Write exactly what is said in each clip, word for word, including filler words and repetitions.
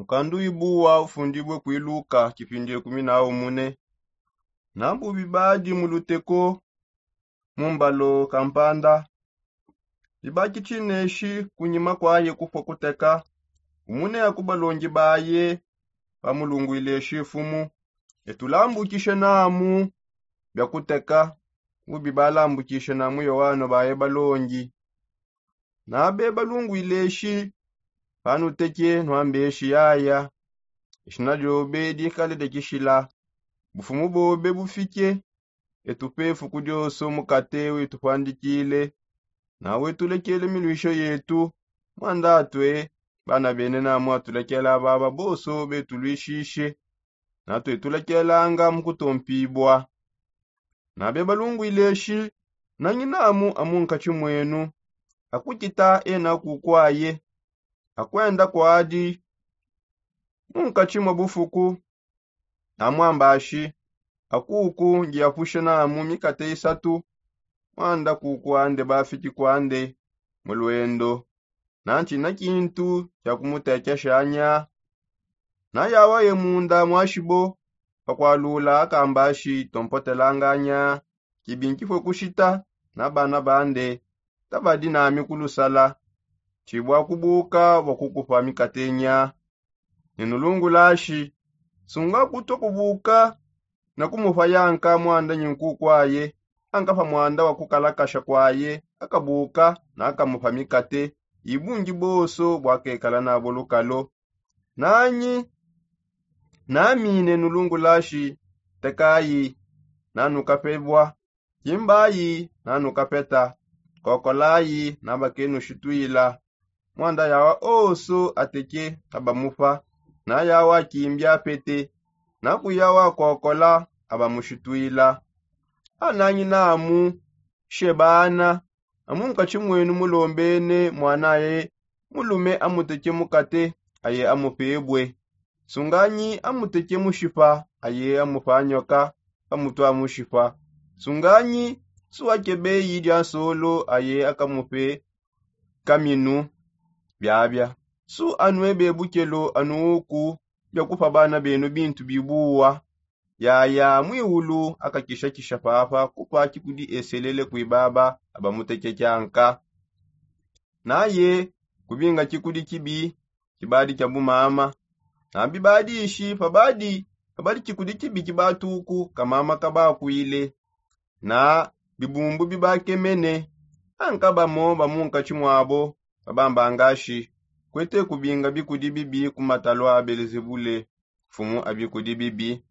Mukandu ibuwa ufundibue kwiluka kipindi ekumi na umune. Nambu bibadi mu luteko mu mbalo kampanda, bibaki tshineshi kunyima kwaye kufua kuteka. Umune aku balongi baye bamulungwile shi mfumu, etulambukishe namu bia kuteka. Ubi balambukishe namu yoano baye balongi. Nabe balungwile shi panuteke nwambe shi yaya, ishina diobe dikale dekishila. Bufumu bobe bufike, etupe fuku dioso mukate witupandikile. Nawe tulekele milwisho yetu, mwandatwe bana bene namu atulekela baba boso betulwishishe. Natwe tulekelanga mu kutompibua. Nabe balungwile shi, nanyi namu amunkatshi mwenu akukita ena kukwaye, akwenda kwadi munkatshi mwa bufuku. Namwamba shi, akuku ngiapushe namu mikate isatu, mwanda kukwande bafiki kwande mu lwendo. Nantshina kintu kia kumutekeshanya. Nayawaye munda mwashibo pakwalula akamba shi tompotelanganya, kibi nkifue kushita na bana bande tabadi nami kulusala. Tshibua kubuka bua kukupa mikatenya. Nenulungula shi, sunga kutua kubuka na kumupa yanka mwanda nyinku kwaye, anka pa mwanda wa kukalakasha kwaye akabuka na akamupa mikate ibungi boso bwakekala nabo lukalo. Nanyi nami nenulungula shi, tekayi nanukapebua, kimbayi nanukapeta, kokolayi nabakenushitwila. Mwanda yawa oso ateke abamupa, na yawa akimbi apete, na kuyawa akokola abamushitwila. Ananyi namu shebana, amunkatshi mwenu mulombene mwanaye mulume amuteke mukate aye amupebue. Sunganyi amuteke mushipa aye amupa nyoka pamutwa mushipa. Sunganyi su akebeyi dia nsolo aye akamupe kaminu. Biabia su anue bebukelo anuuku bia kupa bana benu bintu bibuwa. Yaya mwiulu akakishakisha papa kupa kikudi eselele kui baba abamutekekianka. Naye kubinga kikudi kibi kibadi kia bumama. Nambi badishi pabadi pabadi kikudi kibi kibatuku kamama kabakwile na bibumbu bibakemene. Anka bamo bamunkatshi mwabo babambangashi, kwete kubinga bikudi bibi ku matalua a belezebule, mfumu a bikudi bibi.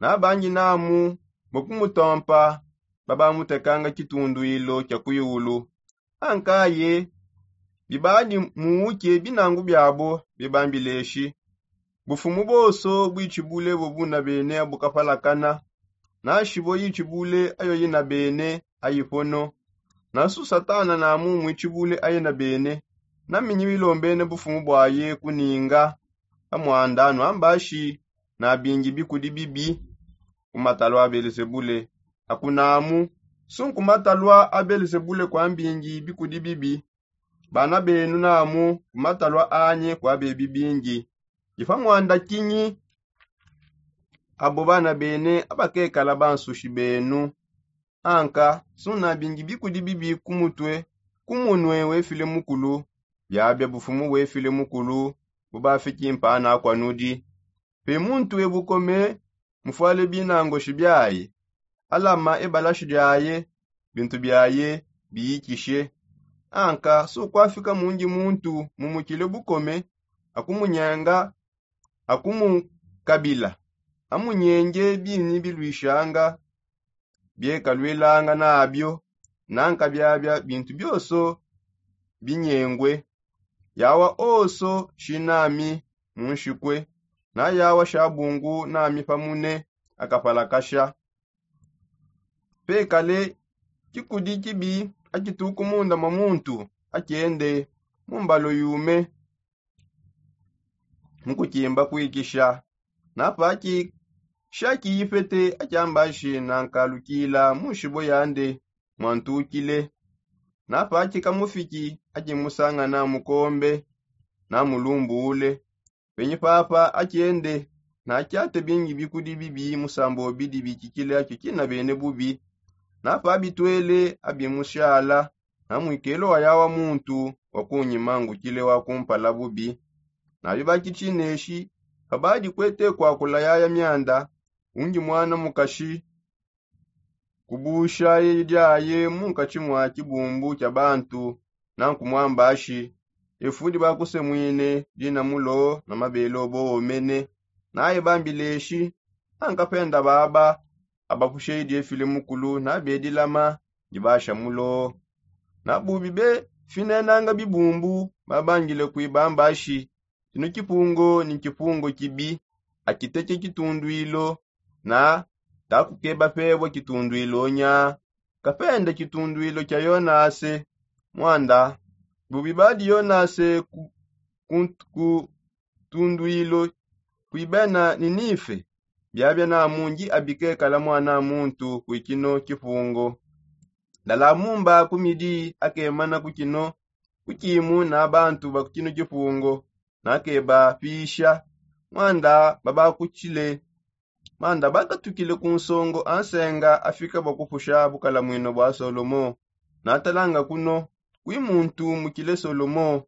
Nabangi namu bua kumutompa babamutekanga kitunduilo kia kuiulu. Ankaye bibadi muuke binangu biabo bibambileshi, bufumu boso buitshibule bobuna bene abukapalakana. Nashibo itshibule ayo ina bene aipono. Nasu satana namu muitshibule aina bene. Naminyi bilombene bufumu buaye kuninga amwanda nuambashi nabingi bikudi bibi ku matalua a belezebule. Akunamu su nku matalua a belezebule kuambingi bikudi bibi. Bana benu namu ku matalua anyi kuabebi bingi. Dipa mwanda kinyi abo bana bene abakekala bansushi benu? Anka sunabingi bikudi bibi ku mutue ku munue wefile mukulu. Biabia bufumu wefile mukulu bubafiki mpana akua nudi. Pe muntu e bukome mufuale binangoshi biaye, alama ebalashi diaye, bintu biaye biyikishe. Anka sukuafika mundi muntu mumukile bukome akumunyenga akumukabila. Amunyenge binyi bilwishanga biekalwilanga nabio. Nanka biabia bintu bioso binyengwe. Yawa oso shinami munshikwe. Na yawa shabungu nami pamune akapalakasha. Pekale kikudi kibi akituku munda mwa muntu akende mu mbalo yume mukukimba kuikisha. Napaki shaki ipete akyambashi nankalukila munshibo yande mwantukile. Napaki kamufiki akimusangana mukombe namulumbule. Penyi papa akende, nakiate bingi bikudi bibi musambo bidi bikikile akikina bene bubi. Napa abitwele abimushala, na mwikelo wa yawa muntu wa kunyima ngukile wa kumpala bubi. Nabi bakichineshi, pabadi kwete kwakula yaya myanda, ungi mwana mukashi kubusha ye lyaye mu nkatshi mwa kibumbu kya bantu, nanku mwambashi, efudi bakusemwine dina mulo na mabele obo omene. Naye bambileshi, ankapenda baba abapushe idi efile mukulu nabedilama ndi basha mulo. Na bubi be finenanga bibumbu babangile kwibambashi, kino kipungo ni kipungo kibi, akiteke kitundwilo, na takukeba pebwa kitundwilo nya. Kapenda kitundwilo kya yonase, mwanda bubi badi yonase ku, ku, ku tundwilo kwibena ninife. Byabya namungi abikekala mwana muntu kwikino kipungo. Ndala mumba kumidi akemana kukino kukimu na bantu bakukino kipungo, nakebapisha, mwanda babakutshile, mwanda bakatukile ku nsongo ansenga afika bakupusha bukalamwino bwa solomo. Natalanga kuno kwi muntu mukile solomo.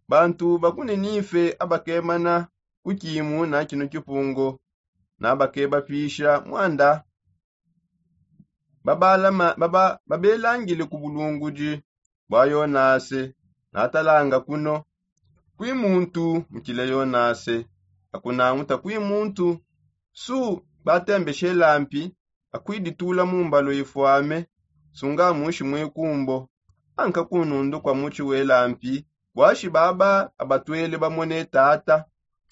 Bantu bakuninife abakemana kukimu na kino kipungo, nabakebapisha mwanda babelangile ku bulungudi bwa yonase. Natalanga kuno kwi muntu mukile yonase, akunanguta kwi muntu su batembeshe lampi akwiditula mu mbalo ifwame, sunga mushi mwikumbo, anka kunundu kwa muchi welampi. Bwashi baba abatwele bamone tata,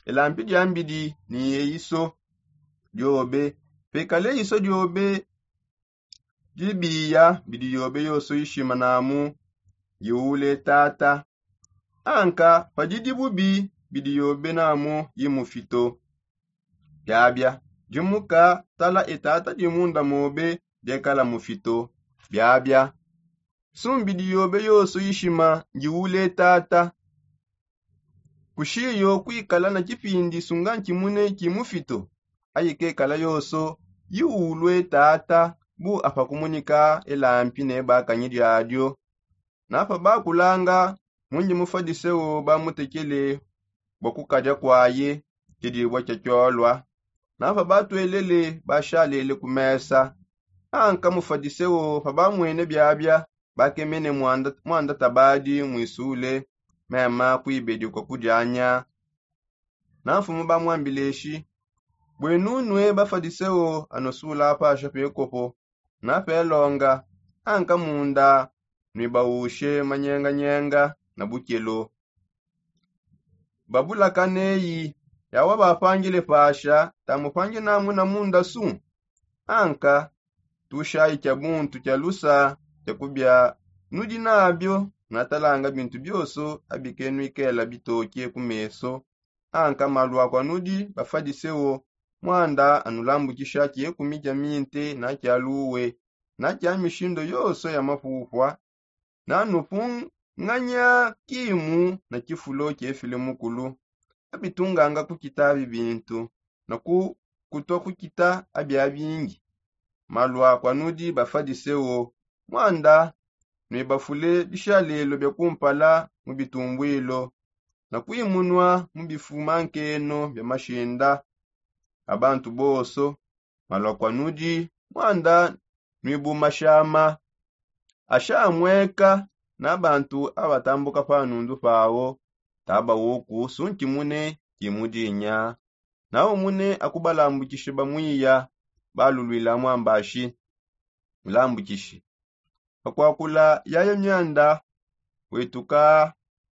elampi diambidi ni eiso diobe, pekale eiso diobe dibiya bidi yobe yoso ishima namu yiule tata. Anka padidi bubi bidi yobe namu yimufito. Byabya dimuka tala etata dimunda mobe diekala mufito. Byabya sumbidi yobe yoso yishima ngiule tata. Kushiyo kwikala na kipindi sunga nkimune kimufito, ayikekala yoso yiulwe tata bu apakumunika elampi ne bakanyi dyadio. Napa bakulanga mungi mufadiseo bamutekele bwa kukadya kwaye kidibwa kya kyolwa. Napa batwelele bashalele ku mesa. Anka mufadiseo pabamwene byabya bakemene mwanda tabadi mwisule mema kwibedi kwa kudyanya. Na mfumu bamwambileshi, bwenunwe bafadiseo anosula apasha pekopo na pelonga, anka munda nwibaushe manyenganyenga na bukelo. Babulakaneyi yawa bapangile pasha tamupangi namuna munda su. Anka tushayi kya buntu kya lusa kya kubya nudi nabyo natalanga bintu byoso abike nwikela bitoke ku meso. Anka malwa kwa nudi bafadiseo mwanda anulambukisha kyekumi kya minte na kya luwe na kya mishindo yoso ya mapupwa. Nanupunganya kimu na kifulo kyefile mukulu abitunganga kukita abi bintu na ku kutwa kukita abya bingi. Malwa kwa nudi bafadiseo mwanda nwibafule bishalelo bya kumpala mu bitumbwilo na kwimunwa mu bifuma nkeno bya mashinda. Abantu boso malwa kwa nudi mwanda nwibumashama ashamweka na bantu abatambuka pa nundu pao. Taba woku sunki mune kimudinya nawo mune akubalambukishe bamwiya balulwila mwambashi mulambukishi. Pakwakula yaya myanda wetuka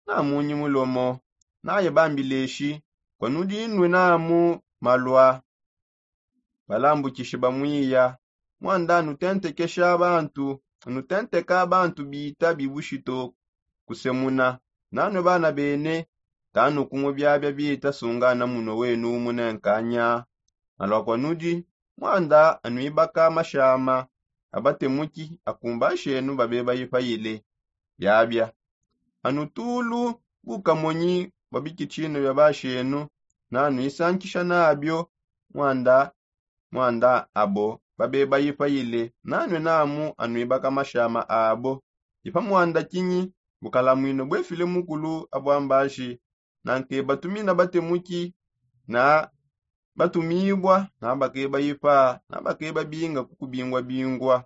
na munyi mulomo naye bambileshi kwa nudinwe namu malwa. Balambukishi bamwiya mwanda anutentekesha abantu anutenteka abantu bita bibushito kusemuna nanwe bana bene tanukumu byabya bita sungana muno wenu munenkanya. Malwa kwa nudi mwanda anwibaka mashama abatemuki akumba nshenu babe bayipayile. Byabya anutulu bukamonyi bwa bikitshino bya bashenu nanuisankisha nabio mwanda mwanda abo babe bayipayile nanue namu anuibaka mashama abo. Ipa mwanda kinyi? Bukalamwino bwefile mukulu abwambashi nanke batumina batemuki na batumibwa na bakeba ipa na bakeba binga kukubingwa bingwa.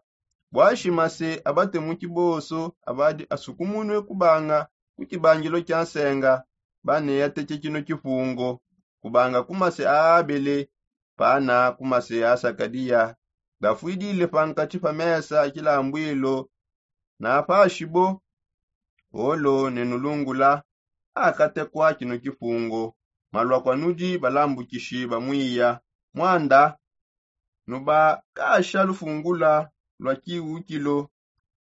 Bwashi mase abatemuki bonso abadi asukumunue kubanga ku kibangilo kia nsenga baneya teke kino kifungo kubanga ku mase a abele pana ku mase a sakadiya gafwidile pankati pa mesa kilambwilo na pashibo. Olo ne nulungula akatekwa kino kifungo malwa kwa nudi balambukishi bamwiya mwanda nubakasha lufungula lwa kiwukilo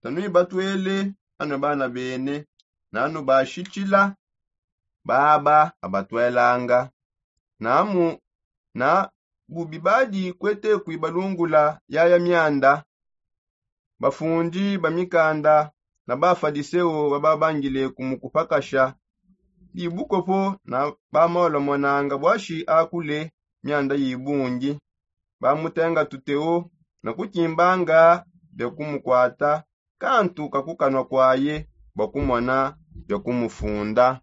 tanuibatwele anue bana bene nanubashitshila baba abatwelanga namu na bubi badi kwete kuibalungula yaya mianda. Bafundi ba mikanda na bafadiseo bababangile kumukupakasha dibukopo na bamaolamonanga bwashi akule mianda yibungi bamutenga tuteo na kukimbanga bia kumukwata kantu kakukanwa kwaye bua kumona bia kumufunda.